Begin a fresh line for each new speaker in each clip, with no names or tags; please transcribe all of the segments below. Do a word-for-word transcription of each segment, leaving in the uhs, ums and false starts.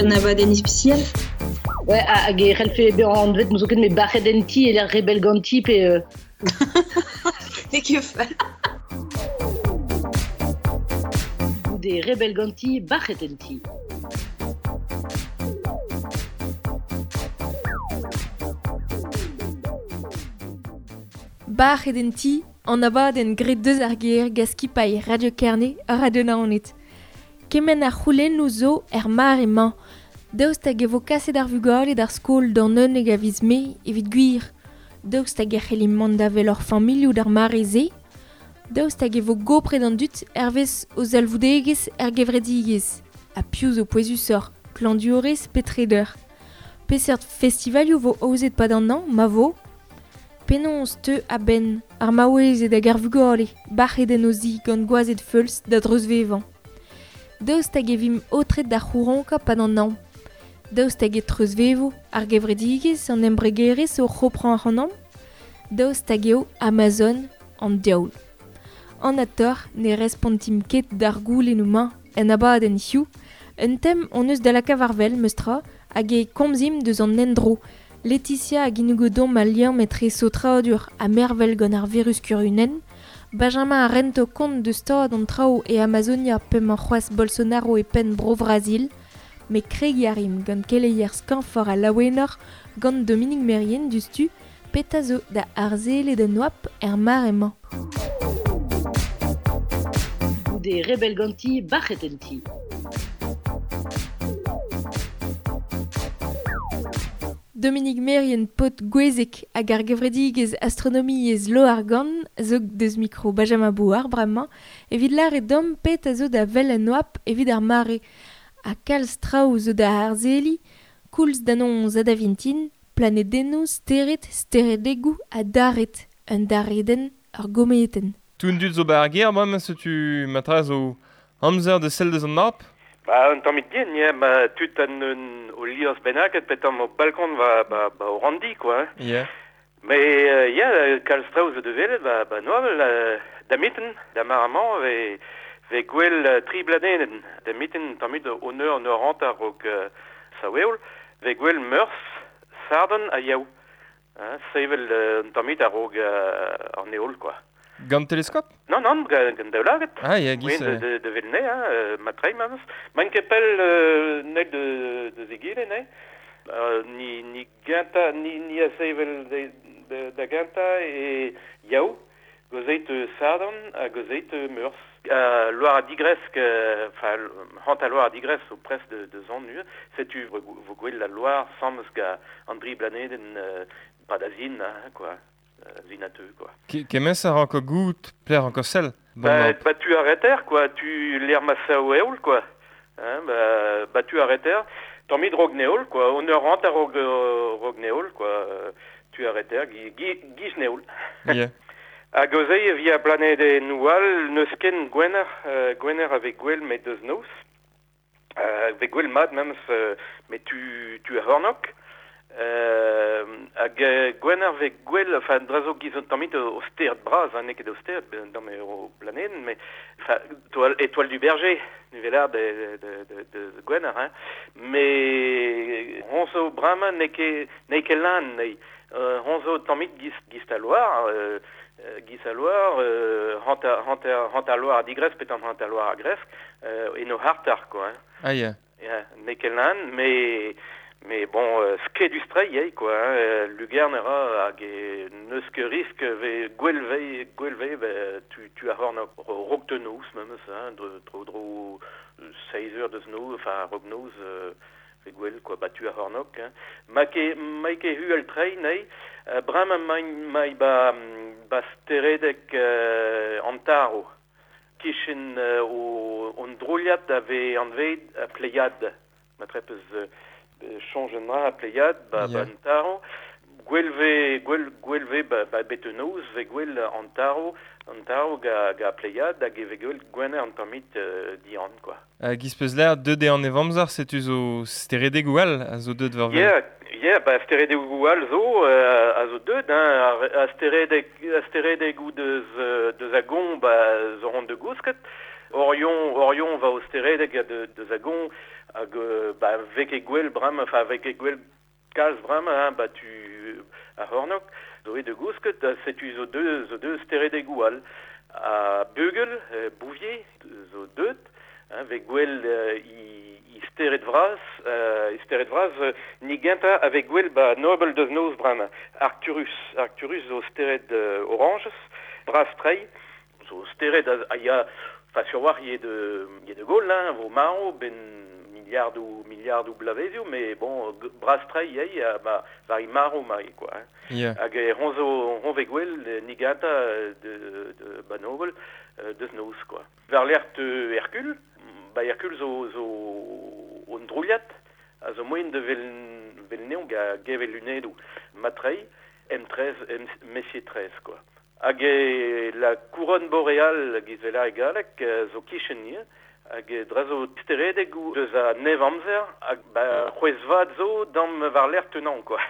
un abadenn ispisial.
Ouais, hag e c'hellfe bezañ anvet n'eus ket met bac'het en ti e lec'h rebel ganti pe... Euh...
N'eo ket fall.
Goude rebel ganti, bac'het en ti.
Bac'het en ti, an abadenn graet deus ar gêr gant skipailh Radio Kerne ha Radio Naoned. Kement ar c'houlennoù zo er mare-mañ. Daoust hag e vo kaset ar vugale d'ar skol d'an unnek a viz Mae evit gwir. Daoust hag e c'hellimp mont da wel hor familhoù d'ar mare-se. Daoust hag e vo gopret an dud hervez o zalvoudegezh er gevredigezh. Ha piv zo pouezusoc'h, klañvdiourez pe treder. Peseurt festivalioù vo aozet pad an hañv, ma vo. Penaos teu a-benn ar maouezed hag ar vugale, bac'het en o zi gant gwazed feuls da dreuzvevañ. Daoust hag e vimp aotret da c'houronkañ pad an hañv. Daoust hag e treuzvevo ar gevredigezh an embregerezh o c'hoprañ ac'hanomp. Daoust hag eo Amazon an diaoul. An ator ne respontimp ket d'ar goulennoù-mañ en abadenn hiziv. Un tem hon eus da lakaat war wel, meustra, hag e komzimp deus an endro. Laetitia hag ginnigo al liamm etre saotradur ha mervel gant ar virus kurunenn. Benjamin a rento kont deus stad an traoù e Amazonia p'emañ c'hoazh Bolsonaro e penn Bro-Brazil. Met kregiñ a rimp gant keleier skañvoc'h ha laouenoc'h gant Dominique Merrien diouzhtu, petra zo da arzelet en oabl er mare-mañ.
Goude rebel ganti, bac'het en ti.
Dominique Merrien paotr Gouezeg hag ar gevredigezh astronomiezh Loargann zo deus mikro Benjamin Bouard bremañ evit lâret deomp petra zo da wel en oabl evit ar mare. Ha kalz traoù zo da arzheliñ, koulz da noz ha da vintin, planedennoù, stered, steredegoù ha dared, un daredenn, ur gometenn.
Tout dud zo ba ar gêr bremañ setu matra zo amzer da sell deus an oabl.
Ba un tammig din, ya, ma tud an un o liorzh bennaket pe tamm o balkon va ba, ba o randi, quoi. Hein.
Yeah.
Mais euh, ya, kalz traoù zo da welet, ba, ba noavel, euh, da miten, da mar-amañ, ve, ve gwell uh, tri bladenenn. Da miten tammig o neur an eur hanter raok uh, saweol, ve gwell Meurzh, Sarden ha Yaou. Hein, sevel uh, un tammig a-raok uh, an heol, quoi.
Gant teleskop?
Non, non, gant daoulagad.
Ah, ya, giz.
Oui, de, de, de velne, hein, euh, ma treim, memes. Man ket pell euh, nel de, de zegile, ne? Euh, ni, ni genta, ni, ni a sevel de, de, da genta e Yaou, gozeit Sarden ha gozeit Meurzh. Euh, Loire a digresk, enfin, euh, hant a Loire a digresk o pres de, de zon nu, setu vo gwell la Loire sammes ga an dri blaneden euh, pa da zin, hein, quoi. Zinateu, quoi.
Kemens a ranko gout pler anko sell.
Bon, bah, bah, tu arrêter, quoi. Tu l'air massa o eol, quoi. Hein, bah, bah, tu arrêter. T'en mis drognéol, quoi. On rentre à rog, rognéol, quoi. Tu arrêter, gi, gi, giznéol.
Yeah.
A gozei via planede noual, neus ken gwener, euh, gwener avec gwell met deus noz. Euh, avec gwell mat, memes, euh, mais tu, tu a hornok. Euh, hag gwener vez gwell, enfin, drazo giz an tammit o stered bras, hein, n'eo ket o stered, dans me o planeden, mais, enfin, étoile, étoile du berger, nuvelar de, de, de, de gwener, hein, mais hon zo bremañ n'eo ket, n'eo ket lan, n'eo, euh, hon zo tammit giz, giz a loar, euh, giz a loar, euh, hant a, hant a, hant a loar a digresk, pe tamm hant a loar a gresk, euh, eno hartar, quoi, hein.
Ah, yeah.
Yeah, n'eo ket lan, mais... Mais bon, euh, skedus-tre eo, quoi, hein, lugern era hag e neus ket risk ve gwell ve, gwell ve, ve tu, tu a horn rog de noz, memes, hein, dro, dro, dro seiz eur deus noz, enfin, rog noz, euh, ve gwell, quoi, ba tu a hornok, hein. Ma ket, ma ket huel trei, nei, euh, bremañ mai, mai ba, ba steredeg euh, antaro, kichen euh, o, on droliad a ve anved a pleiad, ma trepez... Euh, change a pleiad ba, yeah. Ba antaro gwell ve gwell gwell ve ba, ba betenoz ve gwell antaro antaro ga ga pleiad hag e ve gwell gwener an tammit euh, dian, quoi.
Hag uh, peus l'air deut eo an evamzer setu zo steredegoù all a zo deut war wel.
Yeah, yeah, ba steredegoù all zo euh, a zo deut, hein, a steredeg a steredegoù deus deus a gon ba zo ront de gousket. Orion, Orion va o steredeg de, deus a gon Hag, euh, ba, vek e gwell bram, enfin, vek e gwell kalz bram, hein, ba tu a c'hornok, zo e de gousket, setu zo deux, zo deux steredegou all. A Bugel, euh, Bouvier, zo deut, hein, vek gwell euh, i, i stered vraz, euh, i stered vraz, euh, ni genta avec gwell ba Nobel deus noz bram, Arcturus, Arcturus zo stered euh, oranges, braz trei, zo stered a, a ya, enfin, sur war, y de, y de Gaulle, hein, vo maro, ben milliard ou milliard ou blavezioù, mais bon, braz trei, yei, ba, var i maro mari, quoi. Hein.
Yeah.
Hag e hon zo, hon ve gwell, ni ganta de, de, ba Nobel, deus noz, quoi. Var l'ert Hercule, ba Hercule zo, zo on drouliat, a zo moen de vel, vel neon ga gevel lunedou matrei, M treize, M, Messier treize, quoi. Hag e la couronne boréale gizvela e galek zo kichen nie, hag e dra zo steredeg ou deus a nev amzer, hag ba c'hwez vat zo dam war l'air tenant, quoi.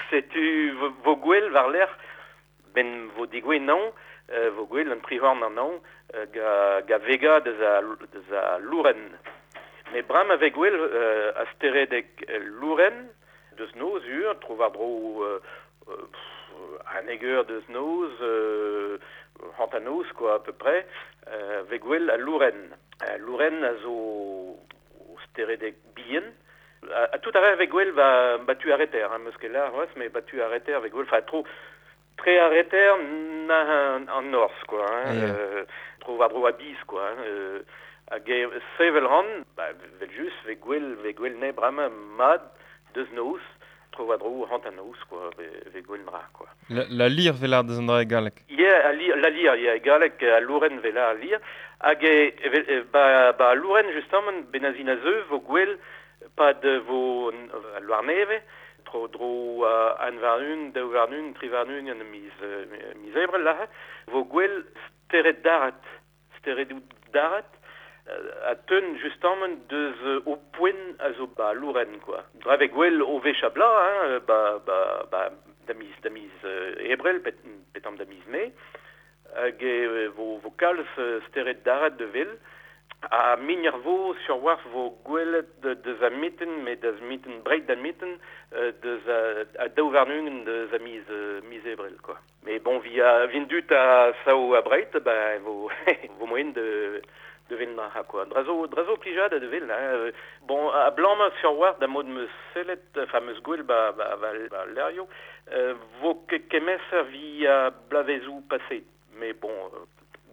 Setu vo gwell war l'air, ben vo digwe non, euh, vo gwell an trihorn an non, ga, ga vega deus a, deus a louren. Mais bram avec gwell euh, a steredeg louren, deus noz ur, tro war dro euh, euh, un eger deus noz, euh, hantanoz, quoi, à peu près, euh, veg gwell a louren. Euh, louren a zo o steredeg bien. A, a tout arrêt avec gwell ba, ba tu arrêter, hein, meus ket lar, mais ba tu arrêter avec gwell, enfin, tro, tre arrêter na an, an norz, quoi, hein,
yeah.
euh, tro war dro a biz, quoi, hein, euh, hag e sevel ran, ba, vel just, veg gwell, veg gwell ne brama mad deus noz, tro war dro hantanoz, quoi, ve gwell dra, quoi.
La, la lir velar deus an dra e galek.
Yeah, a li, la lir, yeah, e galek, a louren vela a lir. Hag e, e, ba, ba louren, justement, benazin a zeu, vo gwell, pad vo a loar neve, tro dro uh, an var un, daou var un, tri var un, an miz, uh, miz ebrel, la, vo gwell stered darat, steredou darat, a teun justement deus o poen a zo ba louren, quoi. Dra ve gwell o vech a bla, hein, ba, ba, ba, da miz, da miz euh, ebrel, pet, petam da miz me, hag e vo, vo kalz stered darat de vel, a migner vo sur war vo gwelet deus a mitten, me deus mitten breit da mitten, deus a, a daou varnungen deus a miz, miz ebrel, quoi. Mais bon, via vin dut a sao a breit, ba vo, vo moen de de vel na quoi. Drazo, drazo plijad de vel, hein. Bon, a blam sur war da mod meus sellet, enfin meus gwell ba, ba, ba, ba lerio, euh, vo ke kemeser via blavezou passé. Mais bon, euh,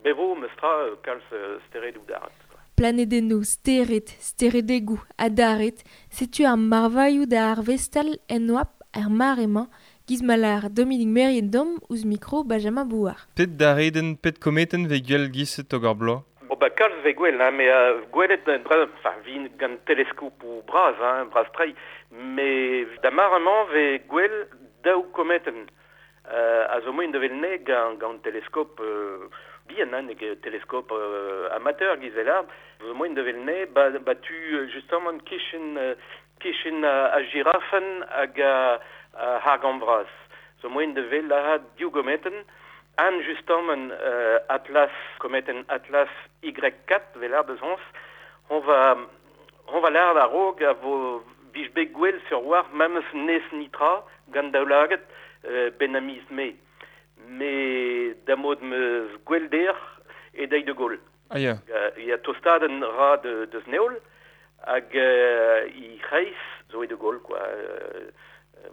bevo meus tra kalz steredou darat, quoi.
Planedennoù, stered, steredegou, adaret, setu ar marvailhoù da ar vestal en oap er mar emañ, giz malar Dominique Merien dom ouzh mikro Benjamin Bouard.
Pet dareden, pet kometen ve gwell giset hag ar bloaz?
Bon, ba kalz ve gwell, hein, mais euh, gwelet, enfin, vin gant teleskop ou braz, hein, braz trei, mais da maramañ ve gwell daou kometen. Euh, a zo moen de vel ne gant, gant teleskop euh, bien, hein, neg teleskop euh, amateur gizelard, zo moen de vel ne, ba, ba tu justement kichen, kichen a, a girafen hag a, a hargant braz. Zo moen de vel a diou gometen, An justement euh, Atlas, kometen Atlas Y quatre, velar deus hons, on va, on va l'ar a rog a vo vij bet gwell sur war memes nes nitra gant daoulaget euh, ben a miz me. Me da mod meus gwell der e dei de Gaulle.
Ah ya.
Uh, ya tostaden ra de, deus neol hag euh, i c'hreiz zo e de Gaulle, quoi. Euh,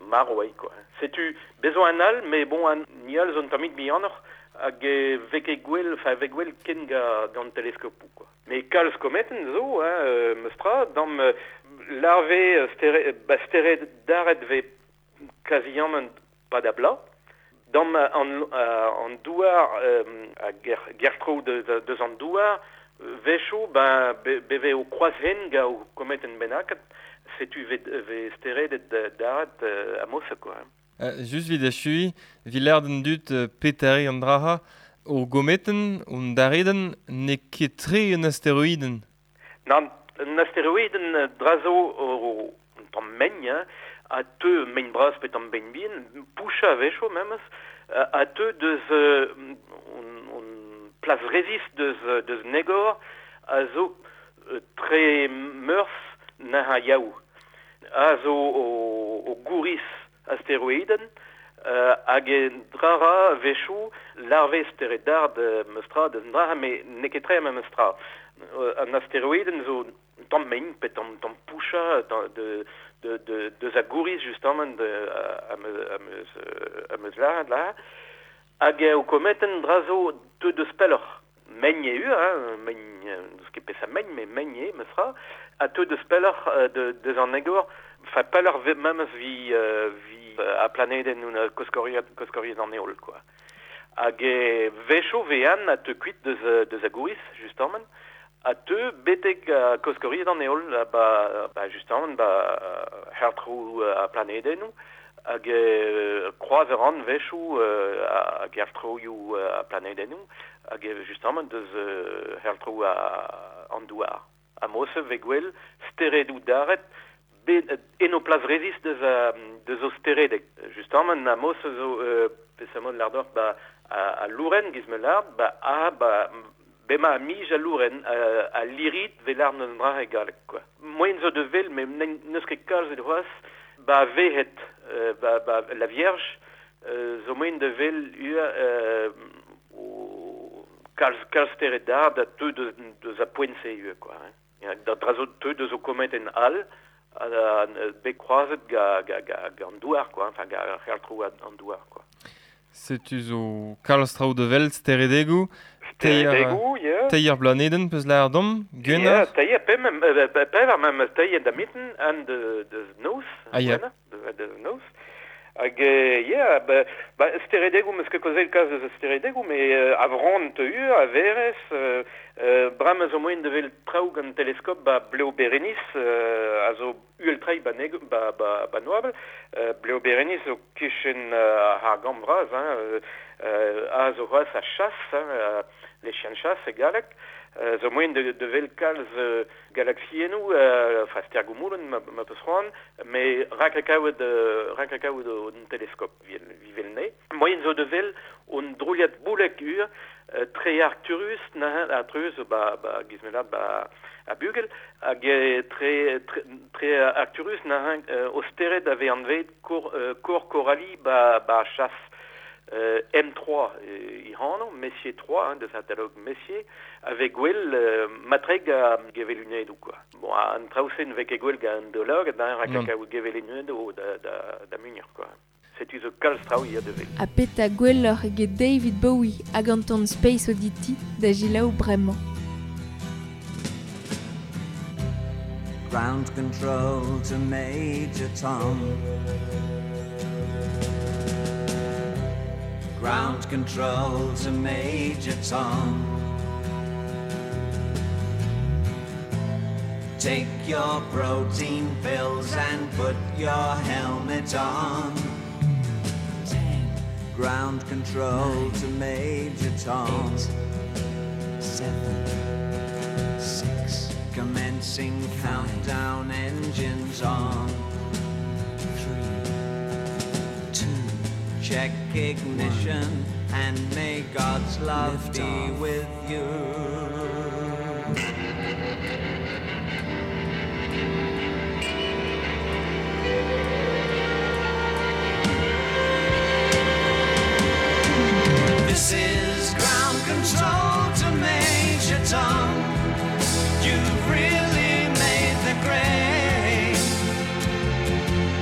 maro eo, quoi. Setu bezo an all, mais bon, an ni all zo un tammig bihanoc'h hag e vek e gwell, enfin vek gwell ken ga, gant teleskopou, quoi. Mais kalz kometen zo, hein, euh, meus tra, dam euh, larve stere, ba stered daret ve kaziamant pa da bla, dam an, an douar, euh, a ger, gertro de, de, deus an douar, vecho, ben, be, beve o kroaz-hen ga o kometen bennaket, setu ve, ve steredet daret euh, a mosa, quoi.
Uh, just vid achui, vi l'er den dut uh, petari an draha, o gometen, on dareden, ne ket tre un asteroiden.
Nan, un asteroiden drazo o, un tamm megn, hein, a teu megn braz pe tamm begn bien, poucha a vecho memes, a, a teu deus uh, on, on plas resist deus, deus negor, a zo tre meurs na yaou. A zo o, o gouris asteroiden, euh, hag en drara vechou larve steredard meustra deus dra, me n'eo ket tre ma meustra. Euh, an asteroiden zo tamm mein, pe tamm, tamm poucha de, de, de, deus a gouris justement de, a, a, me, a meus, a meus la, la. Hag o kometen dra zo teu deus pelloc'h. Mein eo, hein, mein, deus ket pesa mein, me mein eo, meustra, a teu deus pelloc'h de, deus an egor, fa pelloc'h memes vi, euh, vi a planeden un koskoriad, koskoriad an eol, quoi. Hag e vecho vean a teu kuit deus, deus a gouris, justement, a teu betek a koskoriad an eol, ba, ba justement, ba hertrou a planedennou, hag e kroaz an vechou a gertroioù a planedennou, hag e justement deus hertrou a an douar. A mose ve gwell steredou daret be, eno plas rezis deus, a, deus o steredek. Justement, a mose zo euh, pesamont lardor ba a, a louren giz me lard, ba a ba bema a mij a louren a, a lirit ve lard neus dra e galek, quoi. Moyen zo de vel, me neus ket kalz et c'hoaz, ba vehet, euh, ba, ba la Vierge, euh, zo moyen de vel ua euh, o kalz, kalz stered dard a teu deus, deus a poent-se ua, quoi. Hein. Da dra zo teu deus o kometen al, a, a, a bet kroazet ga, ga, ga, ga an douar, quoi, enfin, ga c'hertrou an douar, quoi.
Setu zo kalz traoù de vel steredegou,
Steredegou, yeah.
Teir blaneden peus laer dom, gwenner?
Yeah, teir, pe mem, pe var mem teir da mitten an de, de noz,
ah, yeah.
de, de noz. Hag, yeah, ba, ba steredegou, meus ket kozel kaz deus steredegou, me euh, a vran teu, a verez, euh, euh, bram a zo moen de vel traoù gant teleskop ba Bleo Berenice, euh, a zo uel trai ba, neg, ba, ba, ba noabl, euh, Bleo Berenice zo kichen euh, ar gambr braz, hein, euh, euh, a zo c'hoaz a chasse, hein, euh, les chiens de chasse e galek, euh, zo moen de, de vel kalz euh, galaxiennou, euh, enfin stergoumoulen ma, ma peus c'hoant, me rak a kaout euh, rak a kaout un teleskop vivel ne. Moyen zo de vel un drouliad boulek ur, euh, tre Arcturus, na Arcturus ba, ba gizmelad ba a bugel, hag tre, tre, tre Arcturus na euh, o stered ave anvet kor, euh, kor Coralie ba, ba chasse. Euh, M trois euh, i hano, Messier trois, hein, de catalogue Messier, avec gwell euh, matreg a gevelunedou, quoi. Bon, an traousen vek e gwell ga an dolog, da rak a gevelunedou da, da, da munir, quoi. Setu zo kalz traoù ya de vel.
A peta gwelloc'h eget David Bowie hag an ton Space Oddity da jilaou bremañ.
Ground control to Major Tom. Ground control to Major Tom. Take your protein pills and put your helmet on. Ten. Ground control nine, to Major Tom. Eight, seven, six. Commencing five, countdown, engines on. Three, two. Check ignition, one, and may God's love lift be off with you. This is ground control to Major Tom. You've really made the grade,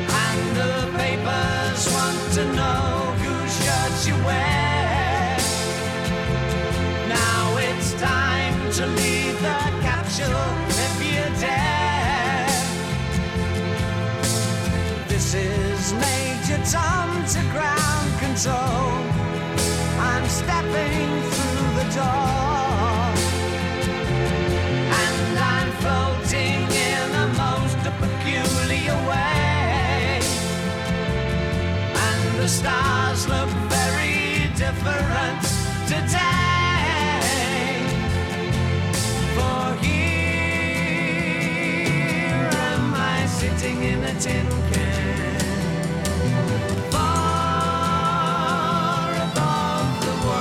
and the papers want to know whose shirt you wear. Now it's time to leave the capsule if you dare. This is Major Tom to ground control. I'm stepping through the door, and I'm floating in a most peculiar way. And the stars look very different today. For here am I sitting in a tin can, far above the world.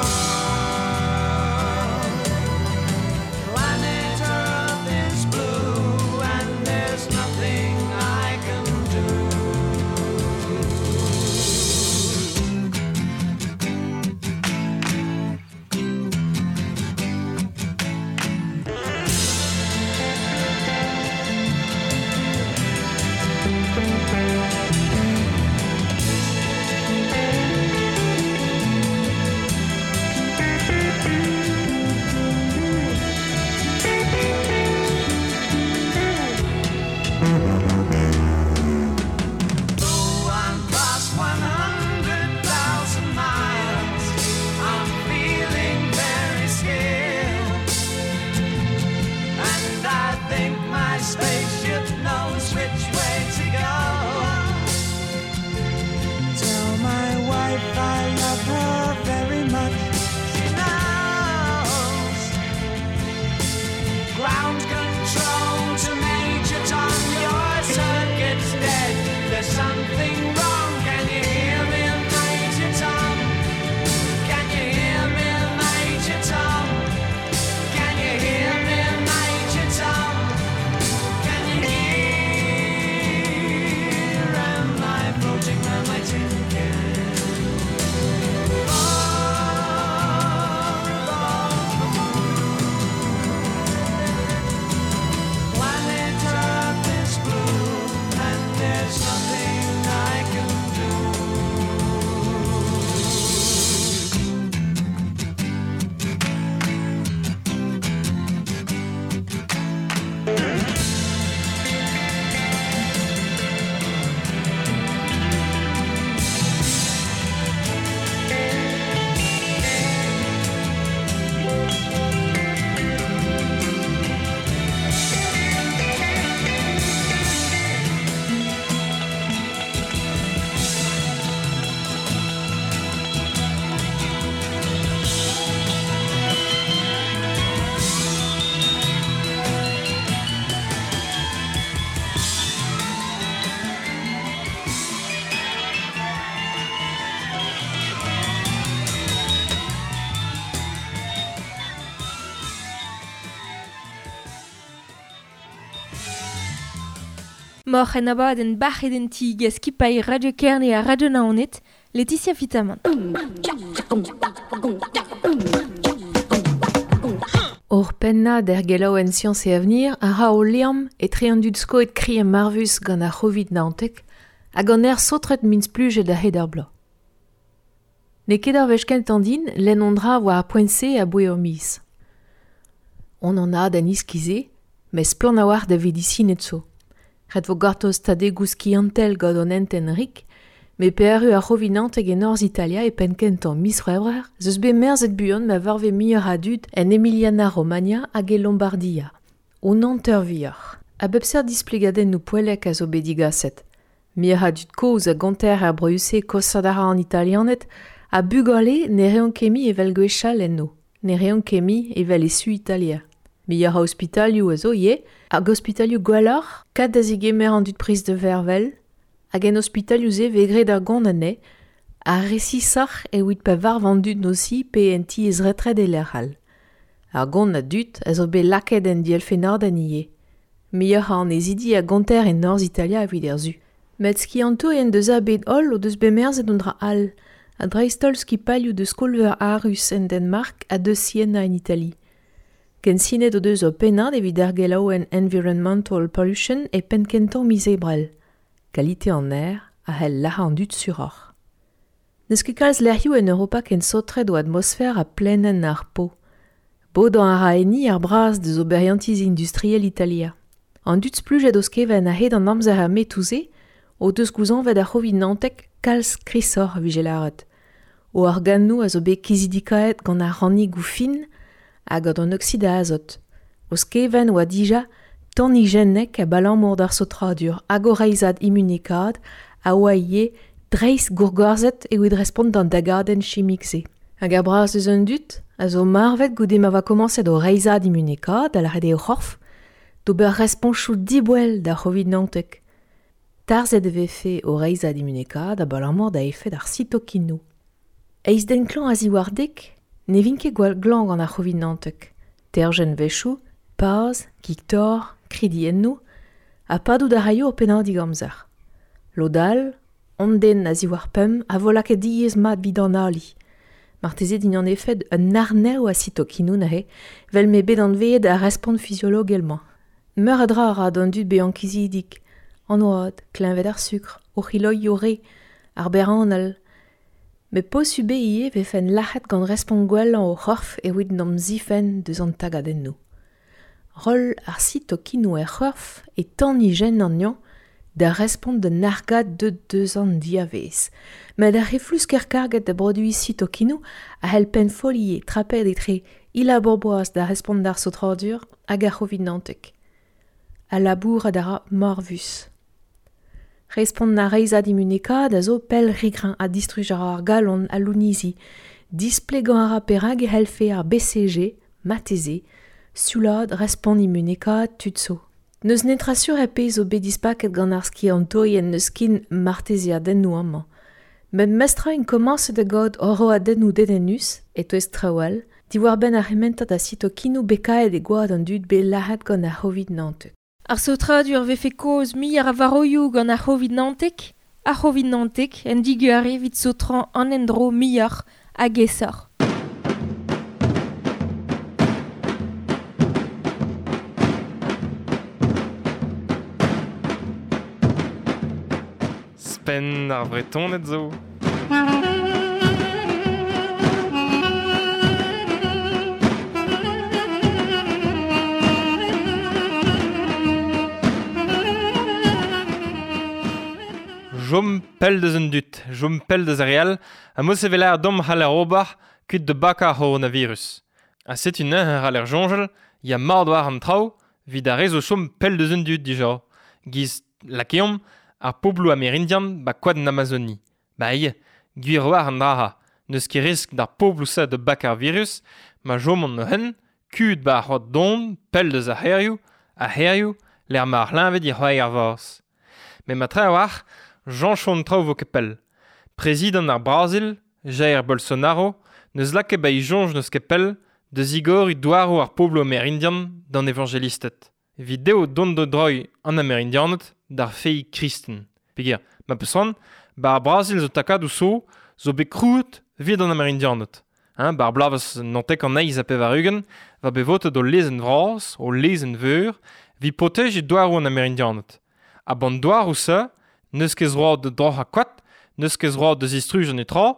Planet Earth is blue.
Moc'h en abadenn bac'het en ti gant skipailh Radio Kerne ha Radio Naoned, Laetitia Fitamant.
Ur pennad er gelaouenn Science et Avenir a ra o liamm etre an dud skoet kri ha marvus gant ar C'hovid naontek hag an aer saotret min splujet a-hed ar bloaz. N'eo ket ar wech kentañ din lenn an dra war ar poent-se aboe ur miz. On an ad an iskize, mes splann a-walc'h da vedisined zo. Ret vo gortoz tadegoù skiantel gant an hentenn rik, met pe erru ar C'hovid naontek e norzh Italia e penn kentañ miz C'hwevrer, ez eus bet merzet buan ma varve muioc'h a dud en Emiliana-Romagna hag e Lombardia. Un hanter vuioc'h. A bep seurt displegadennoù poellek a zo bet digaset. Muioc'h a dud kozh a gonter er broioù-se kosaat a ra an Italianed ha bugale ne reont ket mui evel gwechall enno. Ne reont ket mui evel e su Italia. Muioc'h a ospitalioù a zo ivez, hag ospitalioù gwelloc'h, kat da zegemer an dud prest da vervel, hag en ospitalioù-se vez graet ar gont anezhe, ha resisoc'h evit pa varv an dud nosi pe en tiez retred e lec'h all. Ar gont a dud a zo bet lakaet en dielfennadenn ivez. Muioc'h a annezidi a gonter e norzh Italia evit er su. Met skiantourien deus ar bed holl o deus bet merzet un dra all, ha dreist-holl skipailhoù deus skol-veur Aarhus en Danmark ha deus Siena en Itali. Kensinet o deus ur pennad evit ar gelaouenn Environmental Pollution e penn kentañ miz Ebrel. Kalite an aer a c'hell lazhañ an dud suroc'h. N'eus ket kalz lec'hioù en Europa ken saotret o atmosfer ha plaenenn ar Po. Bodañ a ra enni ar braz deus oberiantiz industriel Italia. An dud splujet o skeven a-hed an amzer ar metoù-se o deus gouzañvet ar C'hovid naontek kalz krisoc'h a vije lâret. O organoù a zo bet kizidikaet gant ar rannigoù fin hag gant an oksid a azot. O skeven oa dija tanijennek abalamour d'ar saotradur hag o reizhad immunekaat a oa ivez dreist gourgorzhet evit respont d'an dagadenn chimik-se. Hag ar braz eus an dud a zo marvet goude ma oa komañset o reizhad immunekaat da lâret eo o c'horf d'ober responchoù diboell d'ar C'hovid naontek. Tarzhet e vefe o reizhad immunekaat abalamour da efed ar sitokinoù. Eizh den klañv a-ziwar dek ne vint ket gwall glañv gant ar C'hovid naontek. Terjenn wechoù, paz, kig-torr, kridiennoù, ha padout a raio ur pennadig amzer. Lod all, an den a-ziwar pemp a vo lakaet diaes mat evit an ali. Marteze din an efed un arnev a sitokinoù neuze, vel m'eo bet anveet ar respont fiziologel-mañ. Meur a dra a ra d'an dud bezañ kizidik, an oad, kleñved ar sukr, o c'hiloioù re, ar berranal. Met posubl eo ivez vefen lac'het gant respont gwellañ o c'horf evit n'am zifenn deus an tagadennoù. Roll ar sitokinoù er c'horf e tanijenn anezhañ da respont d'un argad deut deus an diavez. Met ar c'heflusker karget da broduiñ sitokinoù a c'hell pennfolliñ trapet etre e labour boaz da respont d'ar saotradur hag ar C'hovid naontek. A labourat a ra marvus. Respont ar reizhad immunekaat a zo pell re-greñv ha distruj a ra ar galon ha lounizi. Displegañ a ra perak e c'hellfe ar B C G, marteze, sioulaat respont immunekaat tud zo. N'eus netra sur e pezh zo bet dispaket gant ar skiantourien n'eus ken martezeadennoù amañ. Met mestra int komañset da gaout roadennoù dedennus, e-touez traoù all, diwar-benn ar c'hementad a sitokinoù bekaet e gwad an dud bet lazhet gant ar C'hovid naontek.
Ar saotradur vefe kozh muioc'h a varoioù gant ar C'hovid naontek, ar C'hovid naontek en diguare evit saotrañ an endro muioc'h hag aesoc'h.
Spenn ar Vretoned zo. Jom pell deus un dud, jom pell deus ar re all, ha mos evel ar dom c'haller ober kuit de bakañ ar c'horonavirus. Ha setu neuze c'haller soñjal, ya mard war an traoù, evit ar re zo chom pell deus un dud dija. Giz lakeomp ar pobloù amerindian ba koad an Amazoni. Ba ivez, gwir war an dra-ha, n'eus ket risk d'ar pobloù-se de bakañ ar virus, ma chomont neuze, kuit ba ar c'hoad don, pell deus ar c'hêrioù, ar c'hêrioù, lec'h ma ar c'hleñved e c'hoari ar vazh. Met ma tra a-walc'h, Jean-Chon traoù vo ket pell. Prezidant ar Brazil, Jair Bolsonaro, neus lakaet ba e soñj n'eus ket pell da zigoriñ douaroù ar pobloù amerindian d'an evanjelisted. Evit dezho dont da droiñ an Amerindianed d'ar fei kristen. Peger, ma peus ba ar Brazil zo takadou so, zo bet krouet vid an Amerindianed. Hein, ba ar blavez nantek an eiz a pevar-ugent, va bet votet o lezenn vras, o lezenn veur, vi protej douarou an Amerindianed. A ban douarou se, neus ket zroad de droc'h a koat, neus ket zroad de zistruj an etra,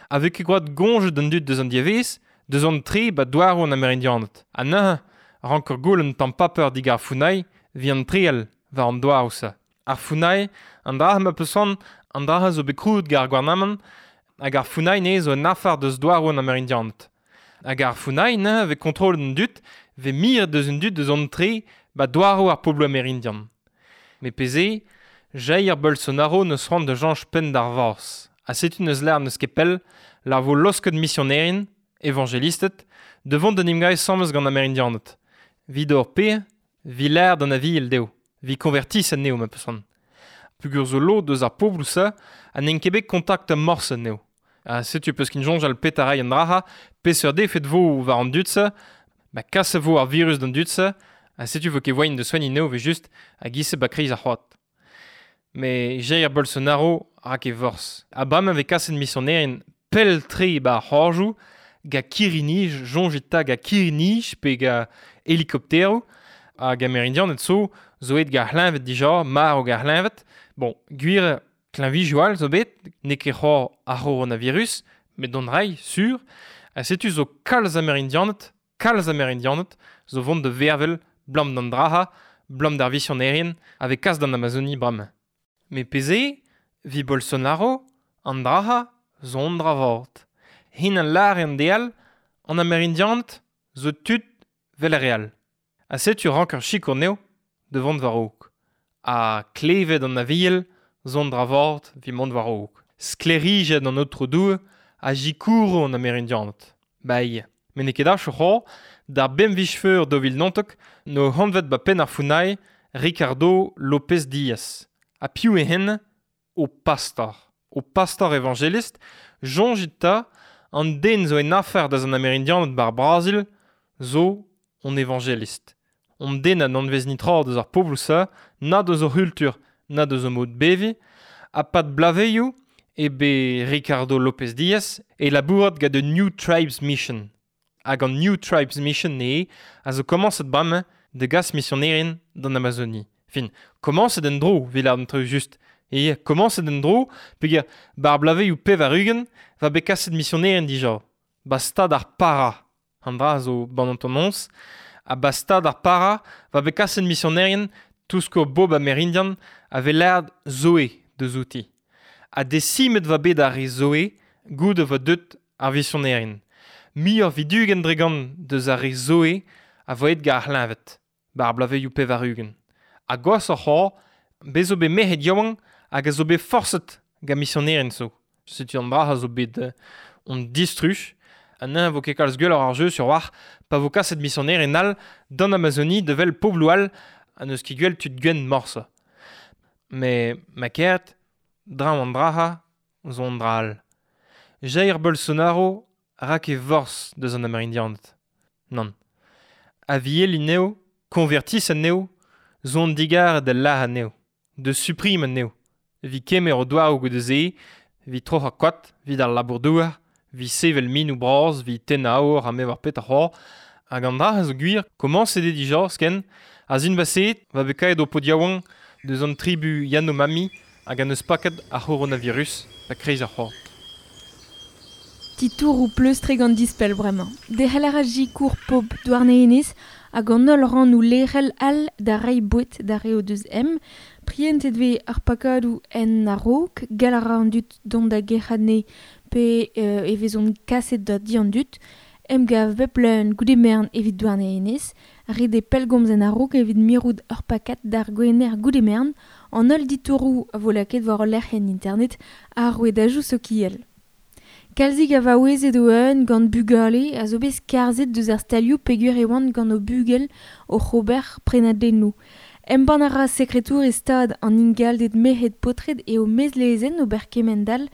a vez ket gwad gonjet an dud deus an diavez, deus an tre ba douarou an Amerindianed. A neuze, rank ur goul un tamm paper dig ar founai, vi an treal war an douarou se. Ar founai, an dra ma peus an, an dra zo bet krouet gar gouarnamant, hag ar founai ne zo un afar deus douarou an Amerindianed. Hag ar founai ne vez kontrol an dud, vez mir deus an dud deus an tre ba douarou ar poblo amerindian. Me peze, Jair Bolsonaro neus c'hoant da jañch penn d'ar vaz. Ha setu neus lar neus ket pell, lar vo losket misionerien, evangelistet, devant den imgai samez gant Amerindianed. Vid ur pe, vi l'air d'an aviel deo, vi konvertis an neo ma peus c'hoant. Pugur zo lo deus ar poblou se, ha n'en ket bet kontakt morse an neo. Ha setu peus kin jonj al pet a rai an draha, peseurt defet vo war an dud se, ba kas vo ar virus d'an dud se, ha setu vo ket voain de soign neo ve just a gise ba kriz ar c'hoat. Me Jair Bolsonaro rak e vorz. A bam ave kaset misionerien pell tre ba ar c'horjoù, ga kirinij, jonjet ta ga kirinij pe ga helikopteroù, hag Amerindian et so, zo et ga c'hleñved dija, mar o ga c'hleñved. Bon, gwir klañvijou zo bet, n'eo ket c'hoar ar c'horonavirus, met d'an rai, sur, ha setu zo kalz Amerindianed, kalz Amerindianed, zo vont de vervel, blam d'an draha, blam d'ar visionerien, ave kas d'an Amazonie bram. Me peze, vi Bolsonaro, an draha, zo an dra vort. Hin an lar an deal, an Amerindianed, zo tud vel ar real. Ha setu rank ur chikour neo, de vont war raok. Ha klevet an aviel, zo an dra vort vi mont war raok. Sklerijet an otro doue, ha jikouro an Amerindianed. Bai, me n'eo ket ach c'hoar, d'ar bemvij feur do vil nantok, no hanvet ba penn ar founai, Ricardo Lopez Diaz. Ha piv e hen, o pastor. O pastor evangelist, jonjit ta, an den zo en afer da an Amerindianed bar Brazil, zo on evangelist. On den an anvez nitra deus ar poblou sa, na deus o c'hultur, na deus o mod bevi, ha pad blaveioù e be Ricardo Lopez Diaz e labourat gant the New Tribes Mission. Hag an New Tribes Mission ne a zo komañset bremañ de gas misionerien d'an Amazonie. Fin, komañset en dro, vil ar an treu just. E komañset en dro, peogwir bar blaveioù pevar ugent va bet kaset misionerien dija. Ba stad ar para. An dra zo ban an tonons. Ha ba stad ar para va bet kaset misionerien tousko bob amerindian a ve lerd Zoe deus outi. Ha desimet va bet ar re Zoe goude va deut ar visionerien. Muioc'h vidugen dregant deus ar re Zoe a voet gar c'hleñved, ba ar blaveioù pevar ugent. Ha gwashoc'h c'hoar, bez zo bet merc'hed yaouank hag a zo bet forset gant misionerien zo. Setu an dra a zo bet euh, on distruj, an eñ vo ket kalz gwelloc'h ar jeu sur war, pa vo kaset misionerien all d'an Amazonie de vel poblou all ha n'eus ket gwell tud gwenn morse. Me ma kert, draoñ an draha, zo an dra all. Jair Bolsonaro rak e vorz deus an Amerindianed. Nann. Aviel anezho, konvertis anezho, zo an digar da lah anezho, de suprim anezho. Vi kemer o douarou goude se, vi troc'h ar koad, vid ar labour-douar, vi sevel minou bras, vi tenn aour ha me war pet ar c'hoar, hag an dra a zo gwir, komañset eo dija, sken, a zin baseet, va bet kaet o pod yaouank deus an tribu Yanomami hag an eus paket ar c'horonavirus da kreiz ar c'hoar.
Titour ou pleustrek gant dispel bremañ. Derc'hel a ra jikour pob Douarnenez hag an holl ran ou lerel all da rei bouet da re o deus em. Prientet vez ar pakadoù en a-raok, gall a ra an dud dont da gerc'hadne pe euh, e vezont kaset da di an dud. Emgav bep leun goude mern evit Douarnenez, ret eo pellgomz en a-raok evit mirout ur pakad d'ar gwener goude mern, an holl ditouroù a vo lakaet war ul lec'h en internet ar rouedajoù sokial. Kalzik a vaouezet o eun gant bugale a zo bet skarzhet deus ar stalioù peogwir e oant gant o bugel o c'hober prenadennoù. Embann a ra sekretour e stad an ingalded merc'hed paotred eo mezlezenn ober kemend-all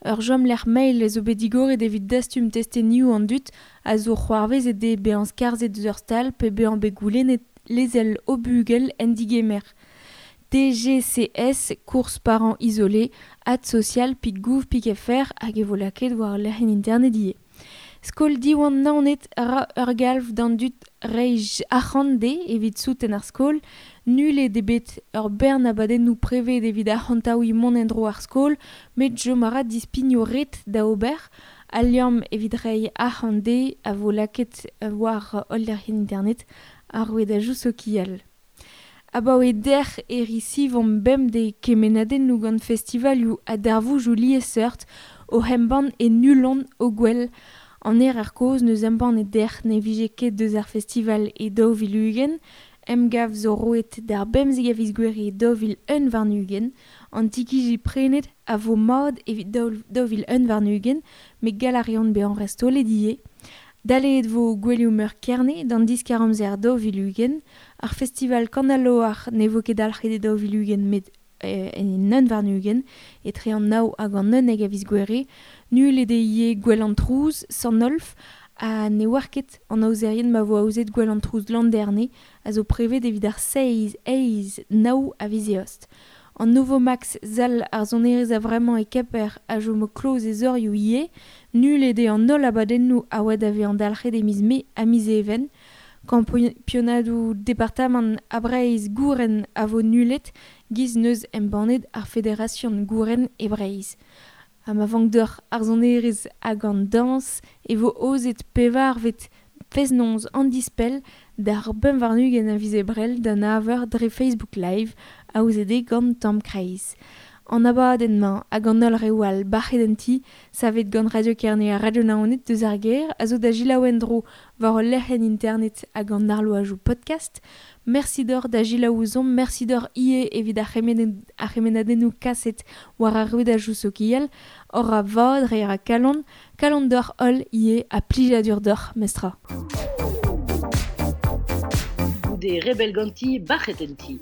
ur chomlec'h mail zo bet digoret evit dastum testenioù an dud a zo c'hoarvezet eo bezañ skarzhet deus ur stal pe bezañ bet goulennet lezel o bugel en digemer. D G C S, course parents isolés, ad social, pik gouv, pik F R, hag e vo laket war lec'h en internet ivez. Skol Diwan Naoned ra ur galv d'an dud reij arc'hant-de evit souten ar skol, nul eo bet ur bern abadennoù preved evit arc'hantaouiñ mont en-dro ar skol, met chom a ra dispignoù ret da ober, al liamm evit reiñ arc'hant-de a vo laket war holl lec'hienn internet ar rouedajoù sokial. Abaoe dec'h e risivomp bemdez kemennadennoù gant festivalioù ha darvoudoù liesseurt o embann e nullont o gwell. An er ar kozh neus embann e dec'h ne vije ket deus ar festival e daou vil ugent, emgav zo roet d'ar bemzek a viz Gouere e daou vil un warn-ugent, an tikiji prenet a vo mat evit daou vil un warn-ugent, met gall a reont bezañ restolet ivez. Daleet vo gouelioù meur Kerne d'an diskar amzer daou vil ugent, ar festival Kanaloar ne vo ket dalc'het e daou vil ugent met en un warn-ugent, etre an nav hag an unnek a viz Gouere, nul eo ivez gwell an trouz, Sant-Nolf, ha ne oar ket an aozerien ma vo aozet gwell an trouz Landerne, a zo prevet evit ar seizh, eizh, nav a viz Eost. An Novomax zal ar sonerezh a vremañ e Kemper a chomo kloz e zorioù ivez, nul eo an holl abadennoù a oa da vezañ dalc'het e miz Mae ha miz Even. Kampionadoù departamant a Breizh Gouren a vo nullet, giz neus embannet ar Federasion Gouren e Breizh. Ha ma vank deoc'h ar sonerezh hag an dañs e vo aozet pevarvet fest-noz an dispell d'ar pemp warn-ugent a viz Ebrel d'an nav eur dre Facebook Live aozet eo gant Tamm Kreiz. An abadenn-mañ hag an holl reoù all bac'het en ti, savet gant Radio Kerne ha Radio Naoned deus ar gêr, a zo da selaou en-dro war ul lec'hienn internet hag an arloajoù podcast. Merci deoc'h da selaou ouzhomp, merci deoc'h ivez evit ar c'hemennadennoù kaset war ar rouedajoù sokial, hor a vad reiñ a kalon, kalon deoc'h holl ivez ha plijadur deoc'h mestra.
Goude rebel ganti, bac'het en ti.